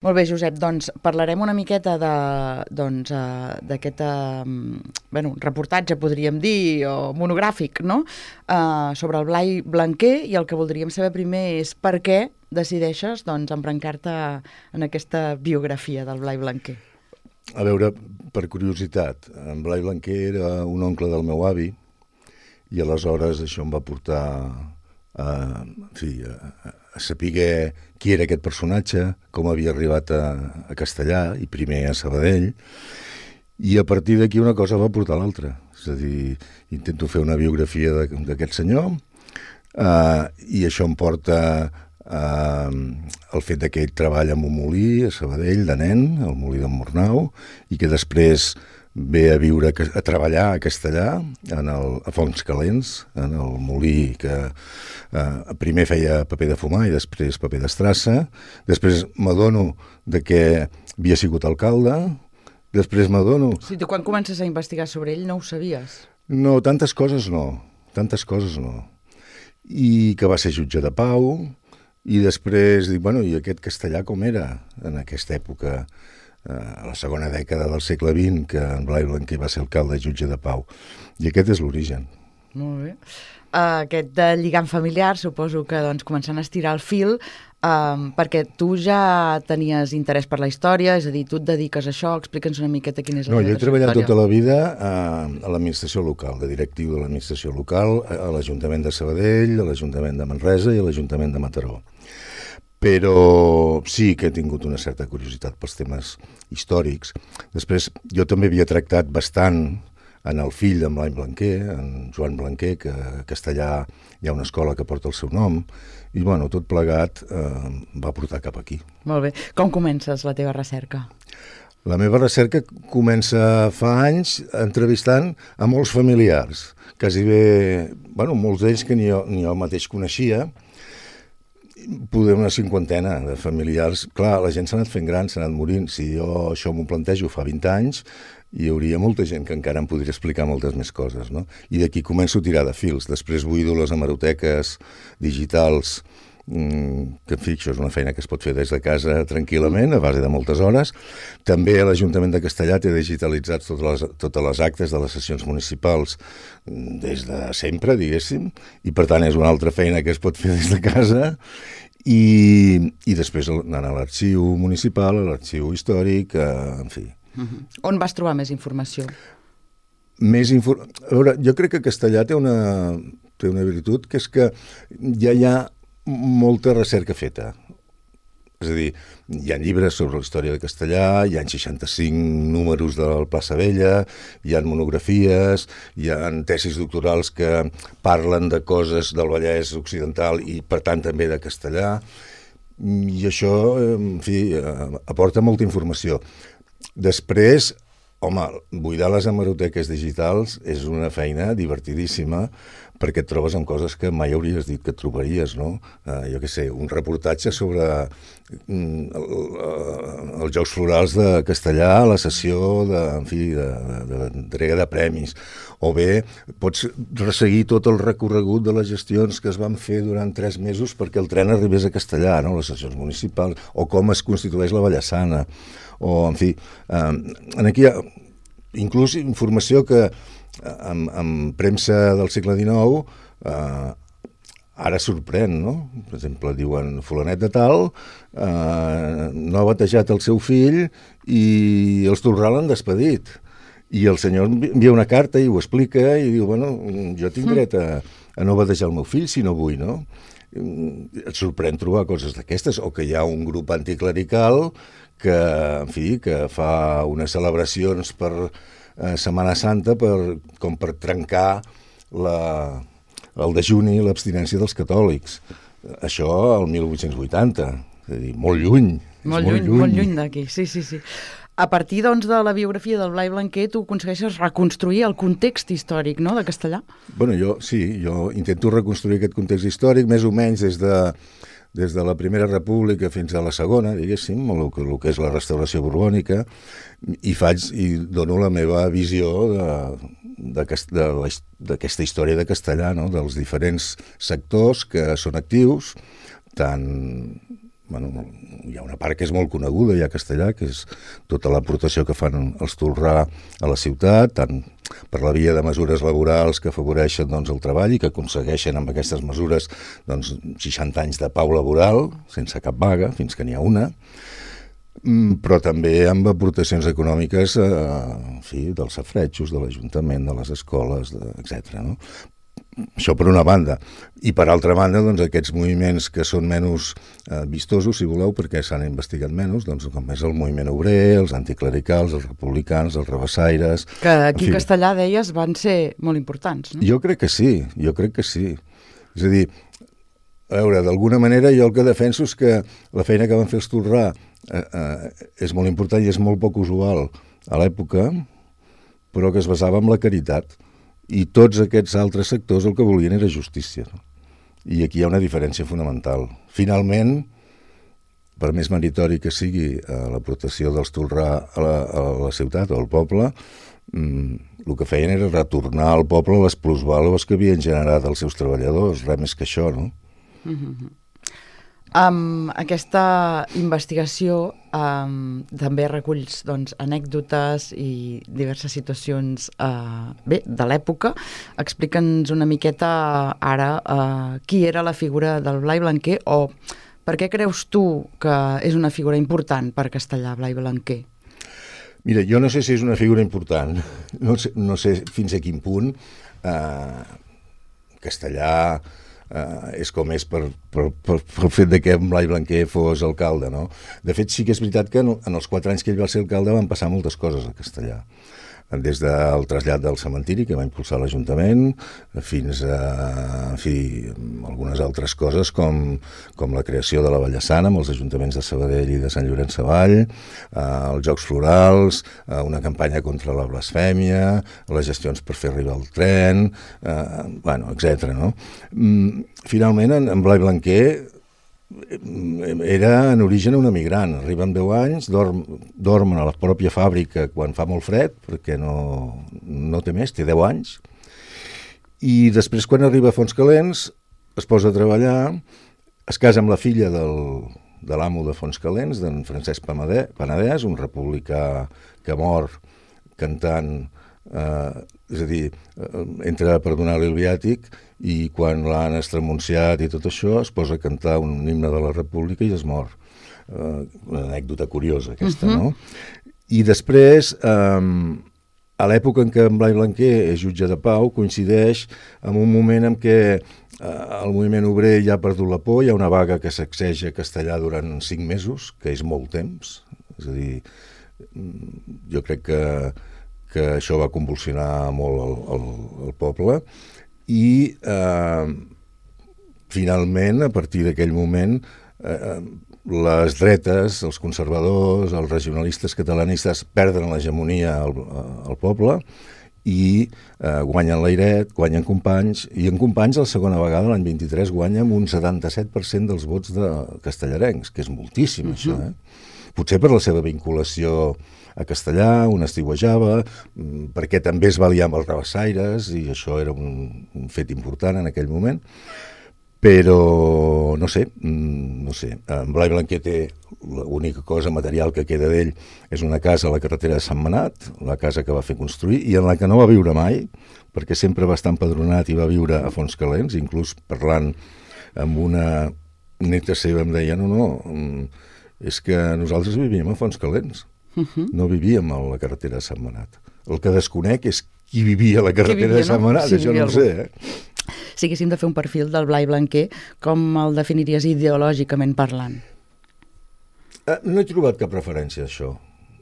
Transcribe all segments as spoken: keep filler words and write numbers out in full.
Molt bé, Josep, doncs parlarem una miqueta de, doncs, eh, d'aquest eh, bueno, reportatge, podríem dir, o monogràfic, no? Eh, sobre el Blai Blanquer, i el que voldríem saber primer és per què decideixes doncs, embrancar-te en aquesta biografia del Blai Blanquer. A veure, per curiositat, en Blai Blanquer era un oncle del meu avi i aleshores això em va portar a, en fi, a, a saber qui era aquest personatge, com havia arribat a, a Castellar i primer a Sabadell, i a partir d'aquí una cosa va portar l'altra. És a dir, intento fer una biografia d'aquest senyor uh, i això em porta uh, el fet que ell treballa en un molí a Sabadell de nen, el molí d'en Mornau, i que després ve a viure, a treballar a Castellar, en el, a Fonts Calents, en el molí que eh, primer feia paper de fumar i després paper d'estrassa. Després m'adono de que havia sigut alcalde, després m'adono... Sí, tu quan comences a investigar sobre ell no ho sabies? No, tantes coses no, tantes coses no. I que va ser jutge de pau, i després dic, bueno, i aquest Castellar com era en aquesta època, a la segona dècada del segle vint, que en Blai Blanquer va ser alcalde i jutge de pau. I aquest és l'origen. Molt bé. Uh, aquest de lligam familiar, suposo que doncs, començant a estirar el fil, uh, perquè tu ja tenies interès per la història, és a dir, tu et dediques a això, explica'ns una miqueta quina és la no, teva jo he treballat història. Tota la vida a, a l'administració local, de directiu de l'administració local, a l'Ajuntament de Sabadell, a l'Ajuntament de Manresa i a l'Ajuntament de Mataró. Però sí que he tingut una certa curiositat pels temes històrics. Després, jo també havia tractat bastant en el fill d'en Blai Blanquer, en Joan Blanquer, que a Castellar hi ha una escola que porta el seu nom, i bueno, tot plegat eh, va portar cap aquí. Molt bé. Com comences la teva recerca? La meva recerca comença fa anys entrevistant a molts familiars, quasi bé, bueno, molts d'ells que ni jo, ni jo mateix coneixia, poder una cinquantena de familiars. Clar, la gent s'ha anat fent gran, s'ha anat morint. Si jo això m'ho plantejo fa vint anys, hi hauria molta gent que encara em podria explicar moltes més coses, no? I d'aquí començo a tirar de fils. Després buido les hemeroteques digitals, mmm, que en fi, això és una feina que es pot fer des de casa tranquil·lament, a base de moltes hores. També a l'Ajuntament de Castellar té digitalitzats totes les, totes les actes de les sessions municipals des de sempre, diguéssim, i per tant és una altra feina que es pot fer des de casa. I, i després anant a l'arxiu municipal, a l'arxiu històric, eh, en fi. Uh-huh. On vas trobar més informació? Més infor... A veure, jo crec que Castellar té una, té una virtut, que és que ja hi ha molta recerca feta. És a dir, hi ha llibres sobre la història de Castellar, hi ha seixanta-cinc números del Plaça Vella, hi ha monografies, hi ha tesis doctorals que parlen de coses del Vallès Occidental i, per tant, també de Castellar. I això, en fi, aporta molta informació. Després, home, buidar les hemeroteques digitals és una feina divertidíssima, perquè et trobes amb coses que mai hauries dit que et trobaries, no? Uh, jo què sé, un reportatge sobre mm, el, uh, els Jocs Florals de Castellar, la sessió de, en fi, de, de, d'entrega de premis, o bé pots resseguir tot el recorregut de les gestions que es van fer durant tres mesos perquè el tren arribés a Castellar, no? Les sessions municipals, o com es constitueix la Ballassana, o, en fi, uh, aquí hi ha inclús informació que amb, amb premsa del segle dinou eh, ara sorprèn, no? Per exemple, diuen fulanet de tal eh, no ha batejat el seu fill i els Torral l'han despedit. I el senyor envia una carta i ho explica i diu, bueno, jo tinc dret a, a no batejar el meu fill si no vull, no? Et sorprèn trobar coses d'aquestes, o que hi ha un grup anticlerical que, en fi, que fa unes celebracions per eh, Setmana Santa per, com per trencar la, el dejuni i l'abstinència dels catòlics. Això al mil vuit-cents vuitanta, és a dir, molt lluny. Molt, molt lluny, lluny, molt lluny d'aquí, sí, sí, sí. A partir, doncs, de la biografia del Blai Blanquer, tu aconsegueixes reconstruir el context històric, no?, de Castellar? Bueno, jo, sí, jo intento reconstruir aquest context històric, més o menys des de, des de la Primera República fins a la Segona, diguéssim, el que, el que és la restauració borbònica, i faig, i dono la meva visió de, d'aquesta història de Castellar, no?, dels diferents sectors que són actius, tant bueno, hi ha una part que és molt coneguda ja a Castellar, que és tota l'aportació que fan els Tolrà a la ciutat, tant per la via de mesures laborals que afavoreixen doncs, el treball i que aconsegueixen amb aquestes mesures doncs, seixanta anys de pau laboral, sense cap vaga, fins que n'hi ha una, però també amb aportacions econòmiques eh, en fi, dels safretjos, de l'Ajuntament, de les escoles, etcètera. No? Això per una banda. I per altra banda, doncs, aquests moviments que són menys eh, vistosos, si voleu, perquè s'han investigat menys, doncs, com és el moviment obrer, els anticlericals, els republicans, els rebassaires... Que aquí a Castellar, deies, van ser molt importants, no? Jo crec que sí, jo crec que sí. És a dir, a veure, d'alguna manera jo el que defenso és que la feina que van fer els Tolrà eh, eh, és molt important i és molt poc usual a l'època, però que es basava en la caritat. I tots aquests altres sectors el que volien era justícia. No? I aquí hi ha una diferència fonamental. Finalment, per més meritori que sigui eh, l'aportació dels Tolrà a la, a la ciutat o al poble, mm, el que feien era retornar al poble les plusvàlues que havien generat els seus treballadors, res més que això, no? Mm-hmm. Amb aquesta investigació um, també reculls doncs, anècdotes i diverses situacions uh, bé, de l'època. Explica'ns una miqueta ara uh, qui era la figura del Blai Blanquer o per què creus tu que és una figura important per Castellar, Blai Blanquer? Mira, jo no sé si és una figura important, no sé, no sé fins a quin punt uh, Castellar... Uh, és com és per, per, per, per el fet de que Blai Blanquer fos alcalde, no? De fet, sí que és veritat que en, en els quatre anys que ell va ser alcalde van passar moltes coses a Castellar. Des del trasllat del cementiri que va impulsar l'Ajuntament fins a en fi, algunes altres coses com, com la creació de la Vallassana amb els ajuntaments de Sabadell i de Sant Llorenç Savall, eh, els Jocs Florals, eh, una campanya contra la blasfèmia, les gestions per fer arribar el tren, eh, bueno, etcètera. No? Finalment, en, en Blai Blanquer era en origen un emigrant, arriba amb deu anys, dorm, dorm a la pròpia fàbrica quan fa molt fred, perquè no, no té més, té deu anys, i després quan arriba a Fontscalents es posa a treballar, es casa amb la filla del, de l'amo de Fontscalents, d'en Francesc Penedès, un republicà que mor cantant, eh, és a dir, eh, entra per donar-li el viàtic, i quan l'han estremunciat i tot això es posa a cantar un himne de la República i es mor. Uh, una anècdota curiosa aquesta, uh-huh. no? I després, um, a l'època en què en Blai Blanquer és jutge de pau, coincideix amb un moment en què uh, el moviment obrer ja ha perdut la por, hi ha una vaga que sacseja Castellar durant cinc mesos, que és molt temps, és a dir, jo crec que, que això va convulsionar molt el, el, el poble, i eh, finalment, a partir d'aquell moment, eh, les dretes, els conservadors, els regionalistes catalanistes perden l'hegemonia al, al poble i eh, guanyen l'airet, guanyen Companys, i en Companys la segona vegada, l'any vint-i-tres, guanya amb un setanta-set per cent dels vots de castellarencs, que és moltíssim, uh-huh. això, eh? Potser per la seva vinculació a Castellar, on estiuejava, perquè també es va liar amb els rebassaires, i això era un, un fet important en aquell moment, però no sé, no sé. En Blai Blanquer té l'única cosa material que queda d'ell és una casa a la carretera de Sant Manat, la casa que va fer construir, i en la que no va viure mai, perquè sempre va estar empadronat i va viure a Fontscalents, inclús parlant amb una neta seva em deia, no, no, és que nosaltres vivíem a Fontscalents. Uh-huh. No vivíem a la carretera de Sant Manat. El que desconec és qui vivia a la carretera vivia, de Sant Manat, no? Sí, això no ho sé. Eh? Si haguéssim de fer un perfil del Blai Blanquer, com el definiries ideològicament parlant? Eh, no he trobat cap referència a això.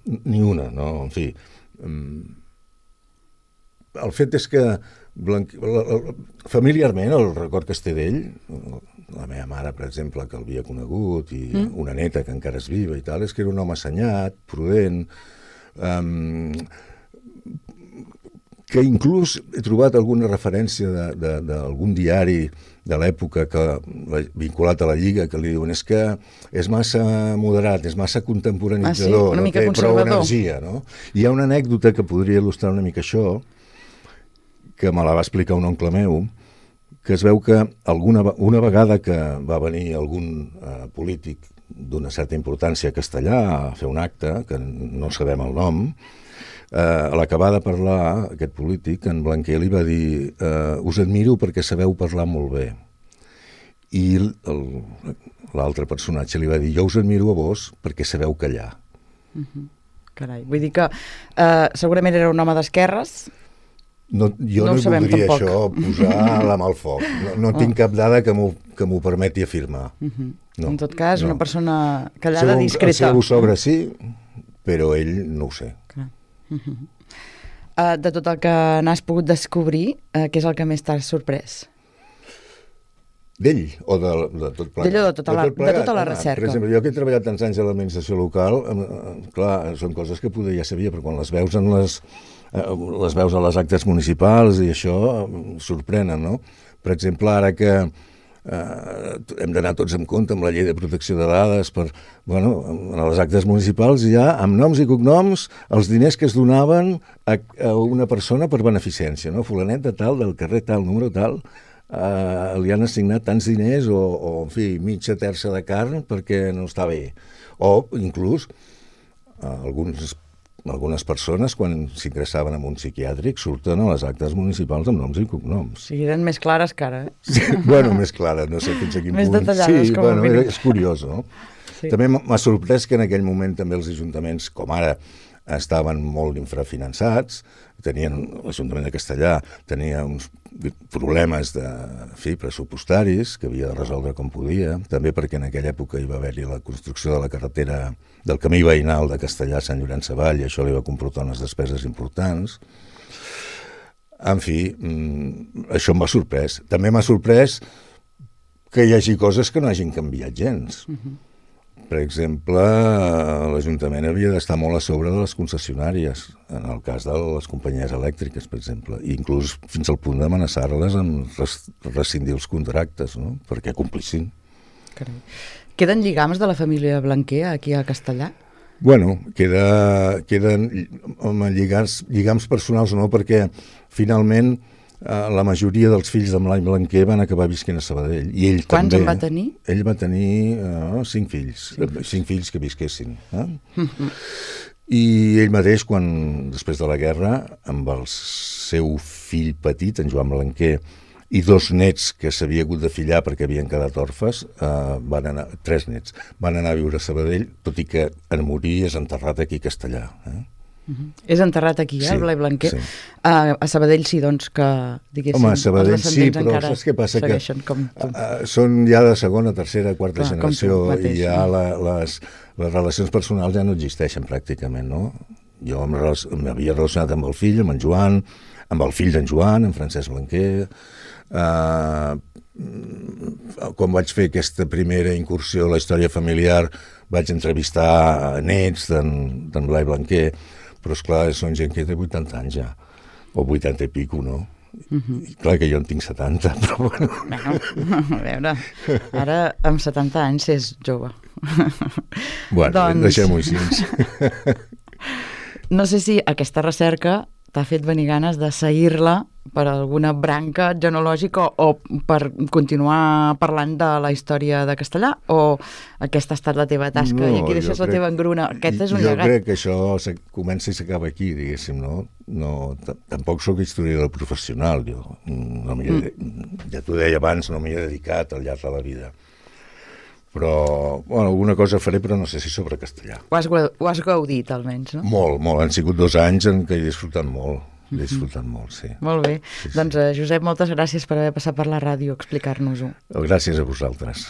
Ni una, no? En fi, el fet és que Blanquer, familiarment el record que es té d'ell, la meva mare, per exemple, que l'havia conegut, i mm. una neta que encara és viva i tal, és que era un home assenyat, prudent, um, que inclús he trobat alguna referència d'algun diari de l'època que, vinculat a la Lliga, que li diuen és que és massa moderat, és massa contemporanitzador, ah, sí? No té prou energia. No? Hi ha una anècdota que podria il·lustrar una mica això, que me la va explicar un oncle meu, que es veu que alguna, una vegada que va venir algun eh, polític d'una certa importància a Castellà a fer un acte, que no sabem el nom. Eh, a l'acabar de parlar, aquest polític, en Blanquer, li va dir eh, us admiro perquè sabeu parlar molt bé. I l'altre personatge li va dir jo us admiro a vos perquè sabeu callar. Uh-huh. Carai, vull dir que eh, segurament era un home d'esquerres. No, jo no, no voldria tampoc. Això posar la mà al foc. No, no oh. tinc cap dada que m'ho que m'ho permeti afirmar. Uh-huh. No, en tot cas, no. Una persona callada, Segur, discreta. El seu sogre sí, però ell no ho sé. Clar. Uh-huh. uh, de tot el que n'has pogut descobrir, uh, què és el que més t'has sorprès? D'ell o de, de tot plegat? D'ell o de tota la, de tot de tota la recerca. Per exemple, jo que he treballat tants anys a l'administració local, eh, clar, són coses que poder ja sabia, però quan les veus en les, eh, les veus a les actes municipals i això eh, sorprenen, no? Per exemple, ara que eh, hem d'anar tots en compte amb la llei de protecció de dades, per, bueno, en les actes municipals ja, amb noms i cognoms, els diners que es donaven a, a una persona per beneficència, no? Fulanet de tal, del carrer tal, número tal, Uh, li han assignat tants diners o, o en fi, mitja terça de carn perquè no està bé. O inclús uh, alguns, algunes persones quan s'ingressaven en un psiquiàtric surten a les actes municipals amb noms i cognoms. Sí, eren més clares que ara. Eh? Sí, bueno, més clares, no sé fins a quin més punt. Més detallades, sí, com bueno, a mínim. És curiós, no? Sí. També m'ha sorprès que en aquell moment també els ajuntaments, com ara, estaven molt infrafinançats, tenien, l'Ajuntament de Castellà tenia uns problemes de, en fi, pressupostaris que havia de resoldre com podia, també perquè en aquella època hi va haver-hi la construcció de la carretera del camí veïnal de Castellà a Sant Llorenç Savall, i això li va comportar unes despeses importants. En fi, això m'ha sorprès. També m'ha sorprès que hi hagi coses que no hagin canviat gens. Uh-huh. Per exemple, l'Ajuntament havia d'estar molt a sobre de les concessionàries, en el cas de les companyies elèctriques, per exemple, i inclús fins al punt d'amenaçar-les amb rescindir els contractes, no? Perquè complissin. Carai. Queden lligams de la família Blanquer aquí a Castellà? Bueno, queda, queden home, lligams, lligams personals no, perquè finalment Uh, la majoria dels fills de Blai Blanquer van acabar visquent a Sabadell. I ell Quants també, en va tenir? Ell va tenir uh, cinc fills, cinc fills, cinc fills que visquessin. Eh? Mm-hmm. I ell mateix, quan, després de la guerra, amb el seu fill petit, en Joan Blanquer, i dos nets que s'havia hagut de fillar perquè havien quedat orfes, uh, van anar, tres nets, van anar a viure a Sabadell, tot i que en morir és enterrat aquí a Castellà. Eh? Uh-huh. És enterrat aquí, eh, sí, el Blai Blanquer. Sí. Uh, a Sabadell sí, doncs, que diguéssim... Home, a Sabadell sí, però saps què passa? Que com tu. Uh, són ja de segona, tercera, quarta Clar, generació mateix, i ja la, les, les relacions personals ja no existeixen pràcticament, no? Jo m'havia relacionat amb el fill, amb en Joan, amb el fill d'en Joan, en Francesc Blanquer. Uh, quan vaig fer aquesta primera incursió a la història familiar vaig entrevistar nets d'en Blai Blanquer, però esclar, són gent que té vuitanta anys ja, o vuitanta i pico, no? Uh-huh. I clar que jo en tinc setanta, però bueno... Bueno, a veure, ara amb setanta anys és jove. Bueno, doncs... deixem-ho així. No sé si aquesta recerca t'ha fet venir ganes de seguir-la per alguna branca genològica o per continuar parlant de la història de Castellà, o aquesta ha estat la teva tasca no, i aquí deixes la crec, teva engruna? Aquest és un jo llegat. Jo crec que això comença i s'acaba aquí, diguéssim, no? no tampoc sóc historiador professional, jo no mm. ja t'ho deia abans, no m'hi he dedicat al llarg de la vida. Però, bueno, alguna cosa faré, però no sé si sobre castellà. Ho has, ho has gaudit, almenys, no? Molt, molt. Han sigut dos anys en què he disfrutat molt. He disfrutat mm-hmm. molt, sí. Molt bé. Sí, doncs, sí. Josep, moltes gràcies per haver passat per la ràdio a explicar-nos-ho. Gràcies a vosaltres.